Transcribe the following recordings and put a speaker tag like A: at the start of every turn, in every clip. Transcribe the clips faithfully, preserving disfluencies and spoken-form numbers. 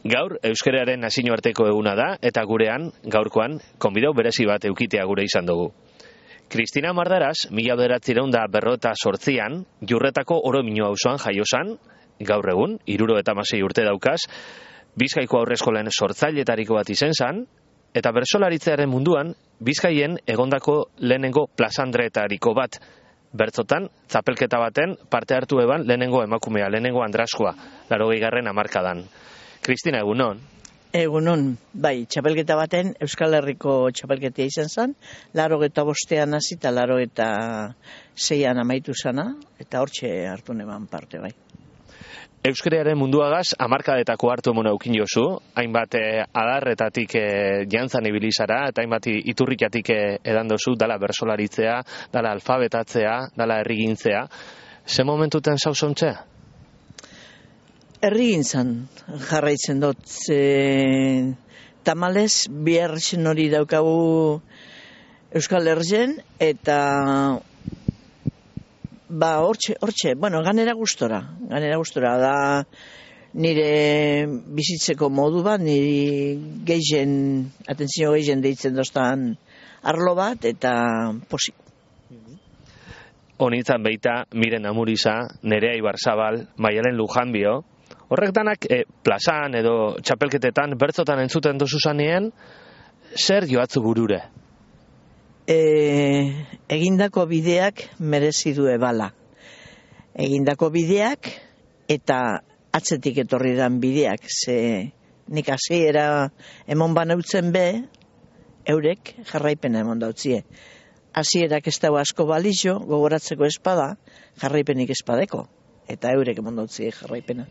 A: Gaur euskararen nazioarteko eguna da eta gurean gaurkoan konbidau berezi bat eukitea gure izan dugu. Kristina Mardaraz, mila bederatziehun eta berrogeita zortzian, Jurretako Oromino auzoan jaiosan, gaur egun, hiruro eta hamasei urte daukaz, Bizkaiko aurreskolen sortzailetariko bat izen zan, eta bertsolaritzearen munduan, Bizkaien egondako lehenengo plazandretariko bat, bertzotan, txapelketa baten parte hartu eban lehenengo emakumea, lehenengo andraskoa, laurogeigarren hamarkadan. Kristina, egunon?
B: Egunon, bai, txapelketa baten, Euskal Herriko txapelketea izan zen, laurogeta bostean hasi eta laurogeta seian amaitu zana, eta hortxe hartu neban parte, bai.
A: Euskararen munduagaz, hamarkadetako hartu emona eukin jozu, hainbat eh, adarretatik eh, jantzan ibilizara, eta hainbat iturrikatik eh, edan dozu, dala bersolaritzea, dala alfabetatzea, dala errigintzea. Ze momentuten zauzontzea?
B: Errigintzan jarraitzen dut, e, tamalez, bihar zen hori daukagu Euskal Herrien, eta ba, hortxe, hortxe, bueno, ganera gustora, ganera gustora, da nire bizitzeko modu bat, nire gehien, atentzio gehien deitzen doztan arlo bat, eta posik.
A: Honitzan beita, Miren Amuriza, Nerea Ibarzabal, Maialen Lujanbio, horrek danak e, plazan edo txapelketetan bertzotan entzuten dozu zanien, zer joatzu burure?
B: E, egindako bideak merezi du ebala. Egindako bideak eta atzetik etorri dan bideak. Ze nik hasiera emon banautzen be, eurek jarraipena emon dautzie. Hasierak ez dago asko balizio, gogoratzeko espada, jarraipenik espadeko. Eta eurek emon dautzie jarraipena.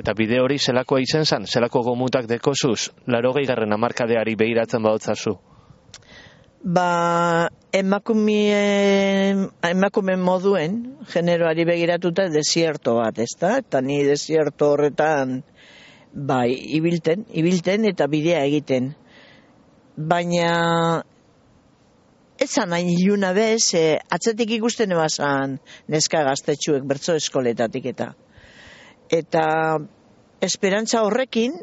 A: Eta bide hori zelakoa izen zan, zelako gomutak dekozuz, laurogeigarren hamarkadeari behiratzen badotzazu?
B: Ba, emakume, emakume moduen, generoari begiratuta desierto bat, ez da? Eta ni desierto horretan, bai, ibilten, ibilten eta bidea egiten. Baina, ez zan hain iluna bez, e, atzetik ikusten ebazan neska gaztetxuek bertso eskoletatik eta. Eta esperantza horrekin,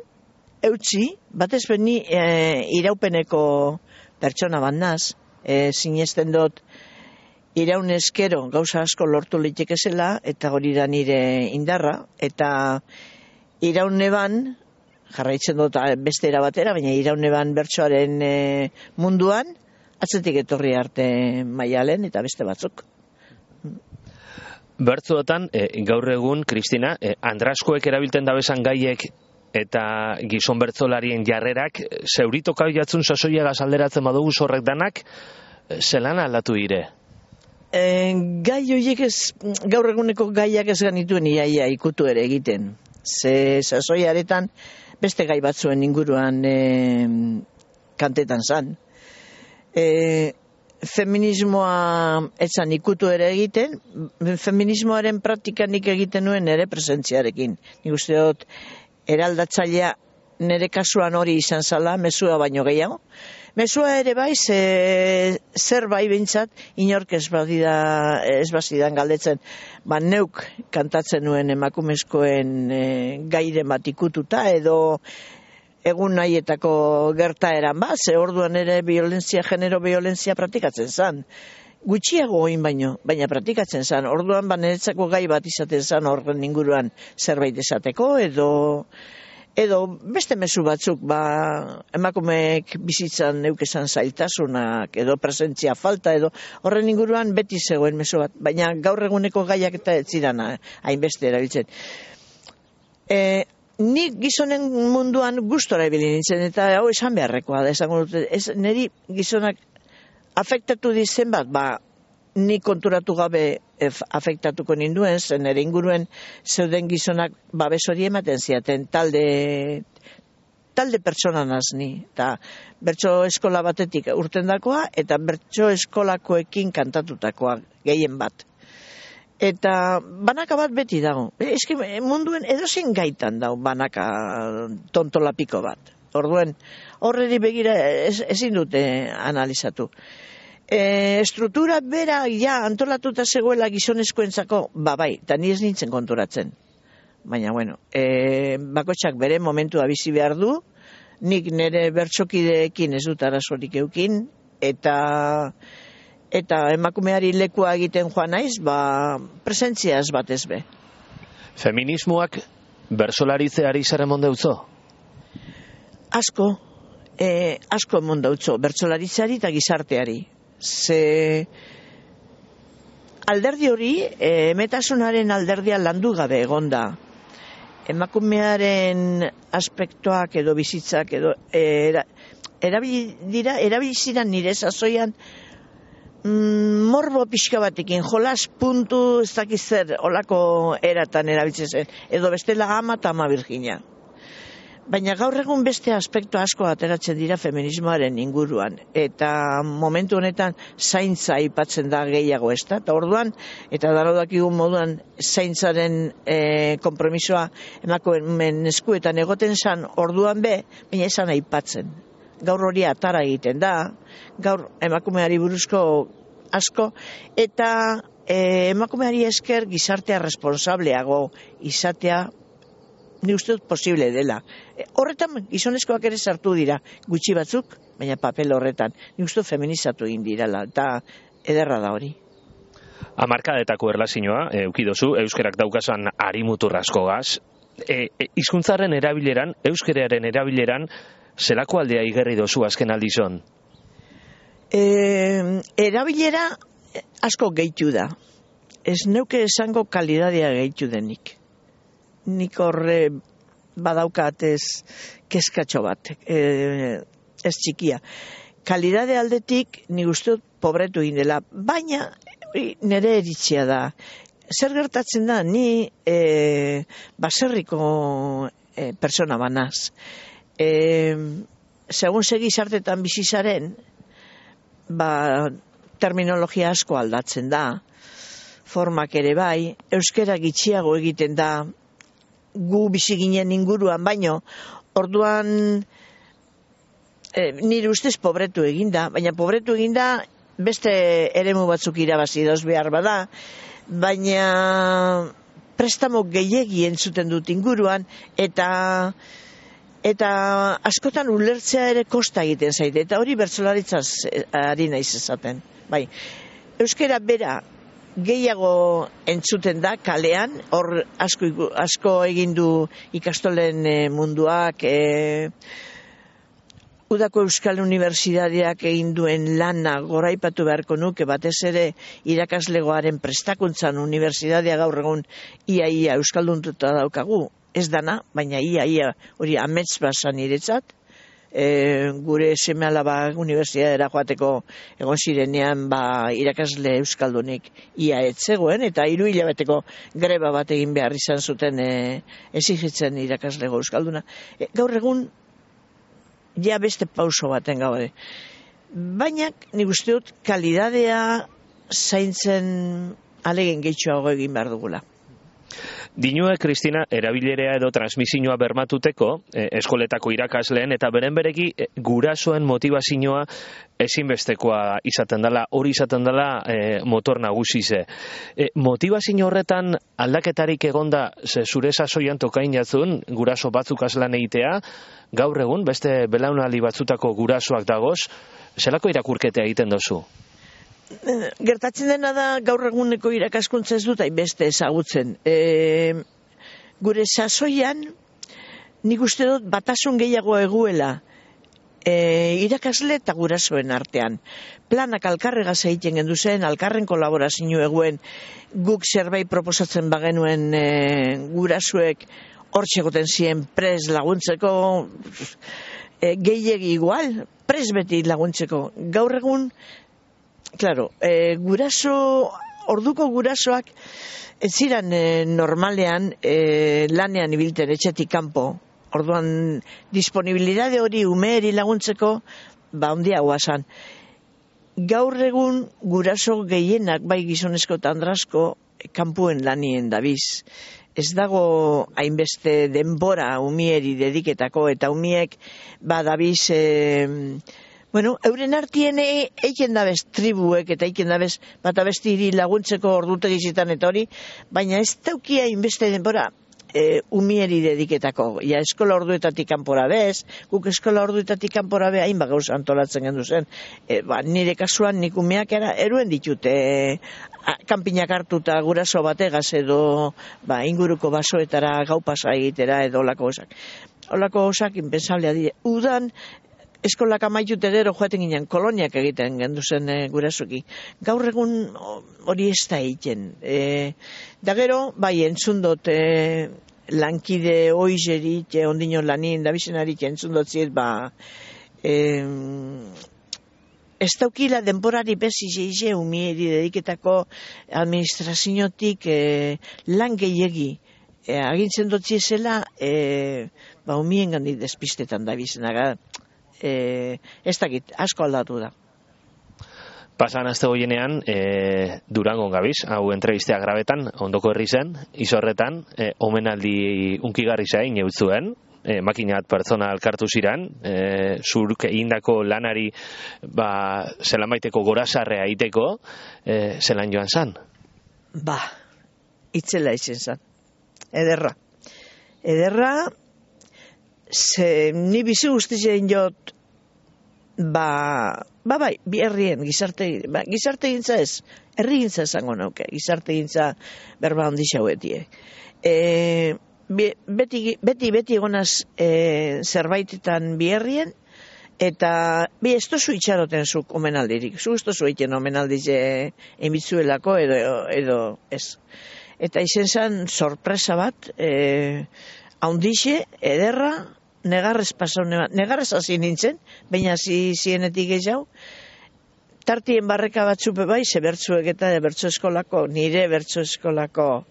B: eutxi, batez beni e, iraupeneko pertsona bat naz, e, sinesten dut iraun eskero gauza asko lortu litekezela, eta hori da nire indarra, eta irauneban, jarraitzen dut beste era batera, baina irauneban bertsoaren e, munduan, atzetik etorri arte Maialen eta beste batzuk.
A: Bertzuotan, e, gaur egun, Kristina, e, andraskoek erabilten dabezan gaiek eta gizon bertzolarien jarrerak, zeuritoka jatzun sasoiagaz alderatzen badugu horrek danak, zelan aldatu dire?
B: E, gai horiek ez, gaur eguneko gaiak ez ganituen iaia ikutu ere egiten. Ze sasoiaretan beste gai batzuen inguruan e, kantetan zan. E, Feminismoa etzan ikutu ere egiten, feminismoaren praktikanik egiten nuen ere presentziarekin. Nik uste dut, eraldatzailea nire kasuan hori izan zala, mezua baino gehiago. Mezua ere bai, ze, zer bai bintzat, inork ez badida, ez bazidan galdetzen, ba neuk kantatzen nuen emakumezkoen e, gaire bat ikututa, edo egun nahietako gertaeran bat, ze orduan ere violentzia, genero violentzia praktikatzen zan. Gutxiago oin baino, baina praktikatzen zan. Orduan baneretzako gai bat izaten zan horren inguruan zerbait esateko, edo, edo beste mezu batzuk, ba, emakumeek bizitzan neukezan zailtasunak, edo presentzia falta, edo horren inguruan beti zegoen mezu bat. Baina gaur eguneko gaiak eta ez zidan hainbeste erabiltzen. E, Ni gizonen munduan gustora ibili nintzen, eta hau esan beharrekoa da, esango dute, ez, niri gizonak afektatu dizen bat, ba, ni konturatu gabe afektatuko ninduen, zen ere inguruen zeuden gizonak babes hori ematen ziaten, talde, talde pertsona nazni, eta bertso eskola batetik urtendakoa, eta bertso eskolakoekin kantatutakoa, gehien bat. Eta banaka bat beti dago. Eske munduen edozein gaitan dago banaka tontolapiko bat. Orduen, horreri begira ez, ezin dute analizatu. E, struktura bera ja antolatuta zegoela gizonezkoentzako, ba bai, eta ni ez nintzen konturatzen. baina bueno, e, bakotxak bere momentua bizi behar du, nik nire bertsokideekin ez dut arazorik eukin, eta eta emakumeari lekua egiten joan naiz, ba, presentziaz batez be.
A: Feminismoak bertsolaritzeari zer emon deutzo?
B: Asko, e, asko emon deutzo, bertsolaritzari eta gizarteari. Ze alderdi hori, e, emetasunaren alderdia landu gabe egonda. Emakumearen aspektoak edo bizitzak edo era, erabili dira, erabili ziren nire sasoian mm, morbo pixka batekin, jolas puntu ez dakiz zer olako eratan erabiltzen zen, edo bestela ama eta ama Virginia. Baina gaur egun beste aspektu asko ateratzen dira feminismoaren inguruan, eta momentu honetan zaintza aipatzen da gehiago, ez da? Eta orduan, eta darodakigun moduan zaintzaren e, kompromisoa emakumeen eskuetan egoten zan orduan be, baina esan aipatzen. Gaur hori atara egiten da, gaur emakumeari buruzko asko, eta e, emakumeari esker gizartea responsableago izatea, ni uste dut posible dela. E, horretan gizonezkoak ere sartu dira, gutxi batzuk, baina papel horretan. Ni uste dut feminizatu egin dirala, eta ederra da hori.
A: Hamarkadetako erlazioa, eukidozu, euskerak daukasan harimutur askogaz, e, e, hizkuntzaren erabileran, euskeraren erabileran, zelako aldea igerri dozu azken aldizon?
B: E, erabilera asko gehitu da. Ez neuke esango kalidadea gehitu denik. Nik horre badaukat ez kezkatxo bat, e, ez txikia. Kalidade aldetik nik uste dut pobretu egin dela, baina nire eritzia da. Zer gertatzen da, ni e, baserriko e, persona banaz. E, segun segi sartetan bizizaren, ba, terminologia asko aldatzen da, formak ere bai, euskera gitxiago egiten da, gu bizi ginen inguruan, baino, orduan e, nire ustez pobretu eginda, baina pobretu eginda beste eremu batzuk irabazi dauz behar bada, baina prestamo gehiegi entzuten dut inguruan, eta eta askotan ulertzea ere kosta egiten zaite, eta hori bertsolaritzaz ari naiz esaten. Bai, euskera bera gehiago entzuten da kalean, hor asko, asko egin du ikastolen e, munduak, e, Udako Euskal Unibertsitateak egin duen lana goraipatu beharko nuke, batez ere irakaslegoaren prestakuntzan unibertsitatea gaur egun ia-ia euskalduntuta daukagu, ez dana, baina ia-ia hori amets basan niretzat. E, gure seme-alaba unibertsitatera joateko egon zirenean ba, irakasle euskaldunik ia etzegoen, eta hiru hilabeteko greba bat egin behar izan zuten e, exigitzen irakaslego euskalduna. E, gaur egun ja beste pauso baten gaude. Baina nik uste dut kalidadea zaintzen alegin gehitxoago egin behar dugula.
A: Dinue, Kristina, erabilerea edo transmisioa bermatuteko, eh, eskoletako irakasleen, eta beren bereki eh, gurasoen motivazioa ezinbestekoa izaten dela, hori izaten dela eh, motor nagusize. Eh, motivazio horretan aldaketarik egonda, ze zure sasoian tokain jatzun, guraso batzuk aslan egitea, gaur egun, beste belaunaldi batzutako gurasoak dagoz, zelako irakurketea egiten dozu?
B: Gertatzen dena da gaur eguneko irakaskuntza ez dut hainbeste ezagutzen. E, gure sasoian nik uste dut batasun gehiago eguela e, irakasle eta gurasoen artean. Planak alkarregaz egiten gendu zen, alkarren kolaborazio eguen, guk zerbait proposatzen bagenuen e, gurasoek hortxegoten ziren pres laguntzeko, e, gehiegi igual, pres beti laguntzeko. Gaur egun Claro, e, guraso, orduko gurasoak ez ziren e, normalean e, lanean ibilten etxetik kanpo. Orduan disponibilidade hori umeeri laguntzeko ba ondia guazan. Gaur egun guraso gehienak bai gizonezko eta andrasko kanpuen lanien dabiz. Ez dago hainbeste denbora umieri dediketako, eta umiek badabiz e, bueno, euren artien eiken dabez tribuek eta eiken dabez bat abesti hiri laguntzeko ordutegi zitan eta hori, baina ez daukia inbeste denbora e, umieri dediketako, ja eskola orduetatik kanpora bez, guk eskola orduetatik kanpora be hainbat gauza antolatzen gendu zen, e, ba, nire kasuan nik umeak era, eruen ditut, e, kanpinak hartuta guraso bategaz edo ba, inguruko basoetara gau pasa egitera edo olako osak. Olako osak inpensablea dire. Udan, eskolak amaitute gero joaten ginen koloniak egiten gendu zen e, gurasoki. Gaur egun hori ez da egiten. E, da gero, bai, entzun dut e, lankide oizerik, e, ondino lanin, da bizenarik entzun dut ziet, ba, e, ez daukila denborari bezi zeize umieri dediketako administraziotik e, lan gehiegi. E, agintzen dut zizela, e, ba, umien gandik despistetan da bizenaga. E, ez dakit, asko aldatu da.
A: Pasan azte goienean, e, Durangon gabiz, hau entrevistea grabetan, ondoko herri zen, izorretan, e, omenaldi unkigarri zain eutzuen, e, makinat pertsona alkartu ziran, e, zurk egindako lanari ba, zelan baiteko gorazarrea iteko, e, zelan joan zan?
B: Ba, itzela izen zan. Ederra. Ederra, ze ni bizi guztien jot, ba, ba bai, bi herrien, gizarte, ba, gizarte gintza ez, herri gintza esango nauke, gizarte gintza berba handi xauetie. E, beti, beti, beti egonaz e, zerbaitetan bi herrien, eta bi ez tozu itxaroten zuk omenaldirik, zu ez tozu egiten omenaldize emitzuelako edo, edo ez. Eta izen zan sorpresa bat, e, haundixe, ederra, negarrez pasau, negarrez hasi nintzen, baina hasi zienetik gehiago, tartien barreka batzupe bai, ze bertzuek eta bertso eskolako, nire bertso eskolako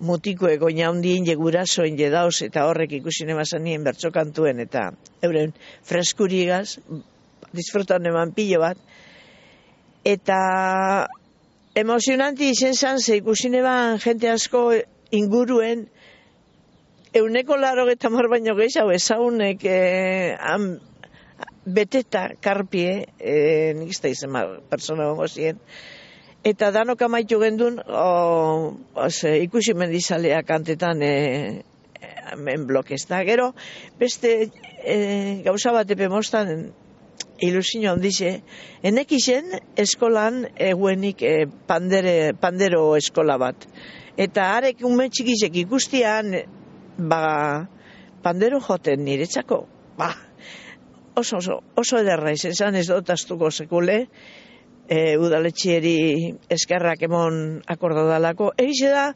B: mutikoek oina hundien jegurasoen jedauz, eta horrek ikusi nebazan nien bertso kantuen, eta euren freskurigaz, disfrutan eman pilo bat, eta emozionanti izen zan, ze ikusi neban jente asko inguruen, euneko laro eta mar baino gehiago ezaunek e, am, beteta karpie, e, nik ez da izan persona gongo ziren, eta danok amaitu gendun, o, ose, ikusi mendizalea kantetan e, hemen blokez da. Gero, beste e, gauza bat epe mostan, ilusio handize, enek izen eskolan eguenik e, pandere, pandero eskola bat. Eta arek ume txikizek ikustian, ba, pandero joten niretzako, ba, oso, oso, oso ederra izen zan ez dut astuko sekule, e, udaletxieri eskerrak emon akordadalako, egize da,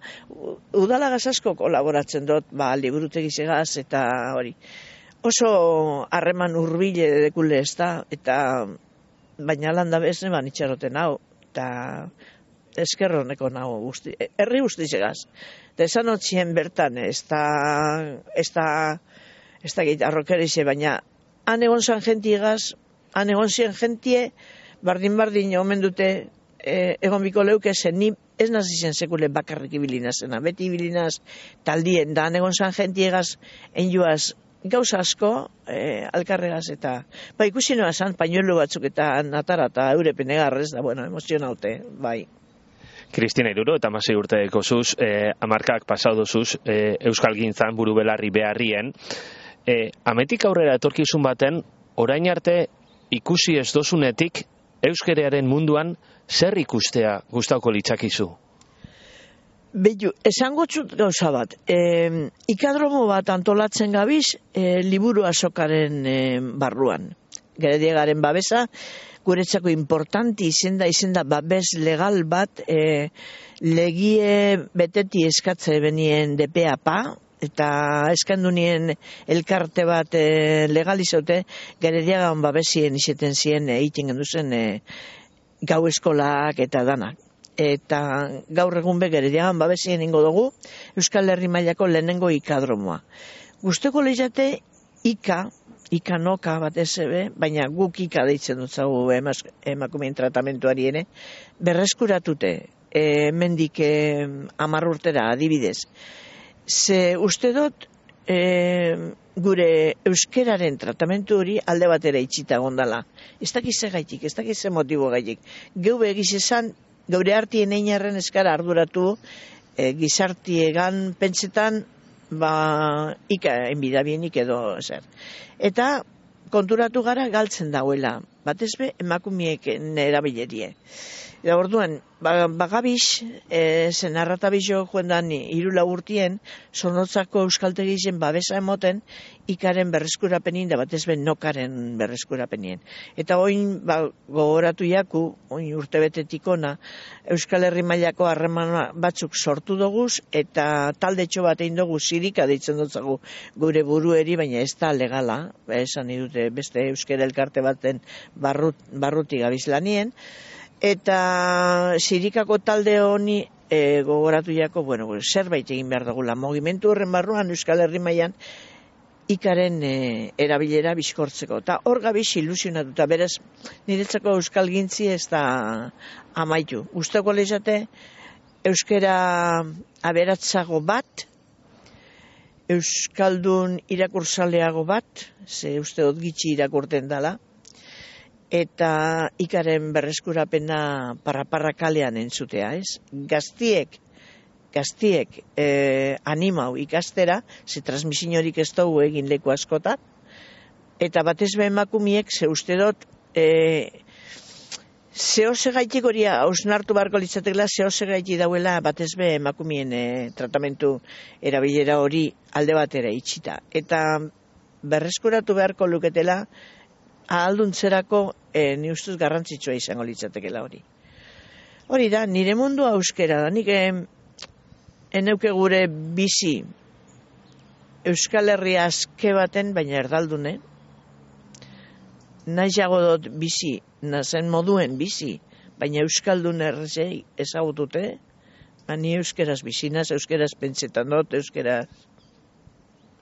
B: udalagaz asko kolaboratzen dut, ba, liburutegizegaz eta hori. Oso harreman urbile dekule ez da, eta baina landa bezne ban itxaroten hau, eta eskerroneko nago guzti, herri guztizegaz. Eta esan otzien bertan, ez da, ez da, ez da gait arrokerize, baina han egon zan jentiegaz, han egon zien jentie, bardin-bardin omen dute, e, egon biko leuke zen, ni ez nazi zen sekule bakarrik ibilina zena, beti ibilinaz taldien, da han egon zan jentiegaz, enjuaz, gauza asko, e, alkarregaz eta, ba ikusi noa zan, pañuelo batzuk eta natara eta eurepen egarrez, da, bueno, emozionaute, bai.
A: Kristina Iruro eta Masei urteko zuz, eh, amarkak pasau dozuz, eh, Euskal Gintzan buru belarri beharrien. Eh, ametik aurrera etorkizun baten, orain arte ikusi ez dozunetik euskerearen munduan zer ikustea gustauko litzakizu?
B: Behu, esango txut gauza bat, e, ikadromo bat antolatzen gabiz e, liburu azokaren e, barruan. Gerediegaren babesa, guretzako importanti izen da, izen da babes legal bat, e, legie beteti eskatze benien D P A P A, eta eskandu nien elkarte bat e, legalizote, Gerediagan babesien izeten zien egiten gendu zen e, gau eskolak eta danak. Eta gaur egun be Gerediagan babesien ingo dugu Euskal Herri mailako lehenengo ikadromoa. Gusteko lehiate ika, ika noka bat ez ebe, baina guk ika deitzen dut zagu emakumeen tratamentuari ere, berreskuratute, e, mendik e, amar urtera adibidez. Ze uste dut e, gure euskeraren tratamentu hori alde batera itxita gondala. Ez dakize gaitik, ez dakize motibo gaitik. Geu egiz esan, gaure hartien einarren eskara arduratu, e, gizartiegan pentsetan ba, ika enbidabienik edo zer. Eta konturatu gara galtzen dauela, batez be emakumiek erabilerie. Eta orduan, bagabix, e, zen arratabixo joendan irula urtien, Zornotzako euskaltegien babesa emoten, ikaren berreskurapenin, da batez ben nokaren berreskurapenien. Eta oin, ba, gogoratu jaku, oin urtebetetik ona, Euskal Herri mailako harreman batzuk sortu doguz, eta taldetxo bat egin dugu zirika deitzen dutzagu gure burueri, baina ez da legala, esan idute beste euskera elkarte baten barrut, barruti gabizlanien, eta zirikako talde honi e, gogoratu jako, bueno, zerbait egin behar dugula. Mugimendu horren barruan Euskal Herri mailan ikaren e, erabilera bizkortzeko. Eta hor gabiz ilusionatuta, beraz, niretzako euskal gintzi ez da amaitu. Gustako lehizate, euskera aberatzago bat, euskaldun irakursaleago bat, ze uste dut gitxi irakurten dala, eta ikaren berreskurapena parra-parra kalean entzutea, ez? Gaztiek, gaztiek eh, animau ikastera, ze transmisiorik ez dugu egin leku askotan, eta batez be emakumiek, ze uste dut, eh, zehose gaitik hori hausnartu barko litzatekela, zehose gaitik dauela batez be emakumien eh, tratamentu erabilera hori alde batera itxita. Eta berreskuratu beharko luketela, ahalduntzerako e, ni ustuz garrantzitsua izango litzatekela hori. Hori da, nire mundua euskera da, nik eneuke gure bizi Euskal Herria azke baten, baina erdaldune, nahiago dut bizi, nazen moduen bizi, baina Euskaldun errezei ezagutute, ni euskeraz bizinaz, euskeraz pentsetan dut, euskeraz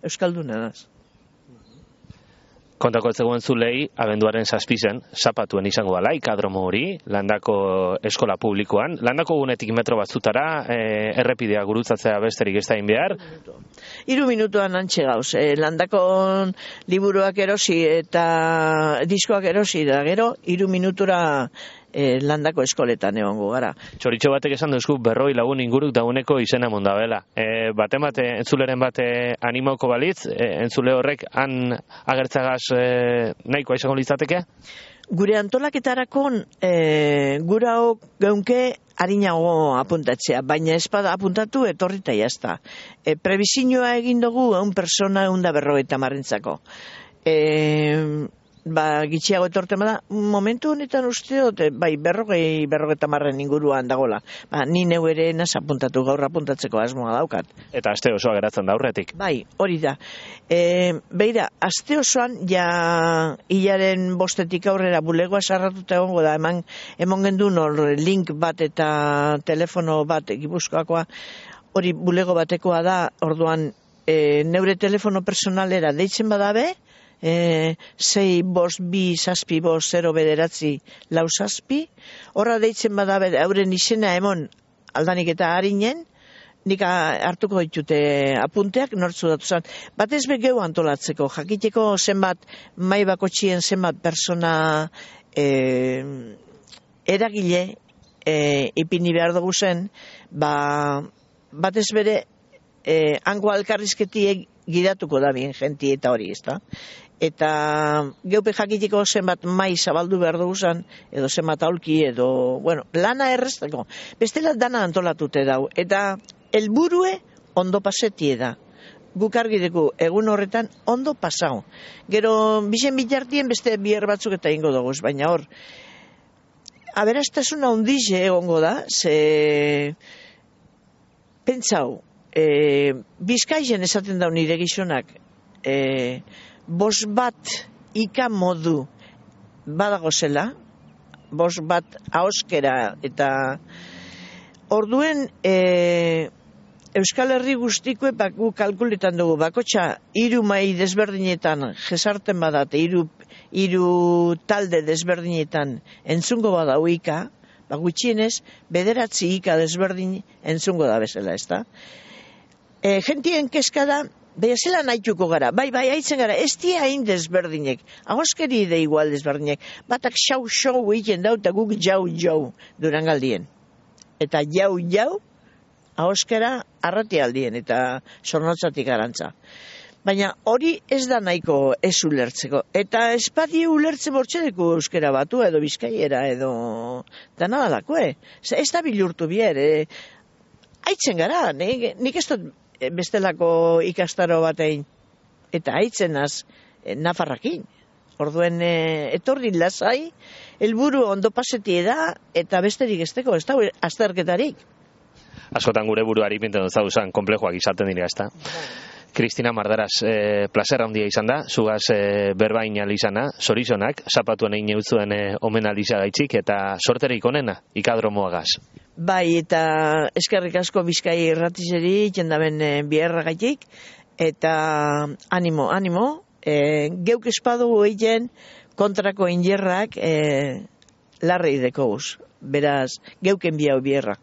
B: Euskalduna naz.
A: Kontako ez zegoen zulei, abenduaren zazpizen, zapatuen izango dala, ikadromo hori, Landako eskola publikoan. Landako gunetik metro batzutara, e, errepidea gurutzatzea besterik ez da egin behar.
B: Hiru minutuan antxe gauz. E, Landako liburuak erosi eta diskoak erosi da gero, hiru minutura e, Landako eskoletan egongo gara.
A: Txoritxo batek esan duzku berroi lagun inguruk dauneko izena mondabela. E, bate bate, entzuleren bate animauko balitz, e, entzule horrek han agertzagaz e, nahikoa izango litzateke?
B: Gure antolaketarako e, gura geunke harinago apuntatzea, baina espada apuntatu etorrita jazta. E, Prebizioa egin dugu egun persona egun da berrogeita marrentzako. E, ba, gitxiago etorten bada, momentu honetan uste dut, bai, berrogei, berrogeita marren inguruan dagola. Ba, ni neu ere naz apuntatu, gaur apuntatzeko asmoa daukat.
A: Eta aste osoa geratzen da aurretik.
B: Bai, hori da. E, beira, aste osoan, ja, hilaren bostetik aurrera bulegoa sarratuta egongo da, eman, emon gendun hor link bat eta telefono bat Gipuzkoakoa, hori bulego batekoa da, orduan, e, neure telefono personalera deitzen badabe, E, sei bost bi zazpi bost zero bederatzi lau zazpi, horra deitzen badabe euren izena emon aldanik eta harinen, nik hartuko ditute apunteak nortzu datu zan. Batez be geu antolatzeko, jakiteko zenbat mai bakotxien zenbat persona e, eragile e, ipini behar dugu zen, ba, batez bere e, hango alkarrizketiek gidatuko da bien jenti eta hori, ezta? Eta geupe jakitiko zenbat mai zabaldu behar dugu zan, edo zenbat aulki, edo, bueno, lana errezteko. Bestela dana antolatute dau. Eta helburue ondo pasetie da. Guk argi dugu egun horretan ondo pasau. Gero, bizen bitartien beste biher batzuk eta ingo dugu, baina hor, aberastasuna ondize egongo da, ze pentsau, e, Bizkaien esaten dau nire gizonak, e, bos bat ika modu badago zela, bos bat ahoskera, eta orduen e, Euskal Herri guztiko gu kalkuletan dugu, bakotxa hiru mai desberdinetan jesarten badate, hiru hiru talde desberdinetan entzungo badau ika, ba gutxienez bederatzi ika desberdin entzungo da bezala, ezta? E, gentien kezkada, beha zela nahituko gara, bai, bai, haitzen gara, ez dia hain desberdinek, ahoskeri de igual desberdinek, batak xau-xau egiten dau, eta guk jau-jau durangaldien. Eta jau-jau, ahoskera arratialdien eta sornotzatik arantza. Baina hori ez da nahiko ez ulertzeko. Eta espadi ulertze bortxedeko euskera batu edo bizkaiera edo dana dalako, ez da bilurtu bier. E, aitzen gara, nik, nik ez dut bestelako ikastaro batein. Eta aitzen az e, nafarrakin. Orduen e, etorri lasai, helburu ondo pasetie da eta besterik esteko, ez da azterketarik.
A: Askotan gure buruari pinten dut zauzan, komplejoak izaten dira, ez da? Kristina Mardaras, eh, placer handia izan da, zugaz eh, berbain alizana, zorizonak, zapatuen egin eutzuen eh, omen alizagaitzik, eta sorterik onena, ikadromoagaz.
B: Bai, eta eskerrik asko Bizkai irratizeri, jendaben eh, biherragaitik, eta animo, animo, eh, geuk espadu egin kontrako injerrak eh, larrei dekouz, beraz, geuken biau bierra.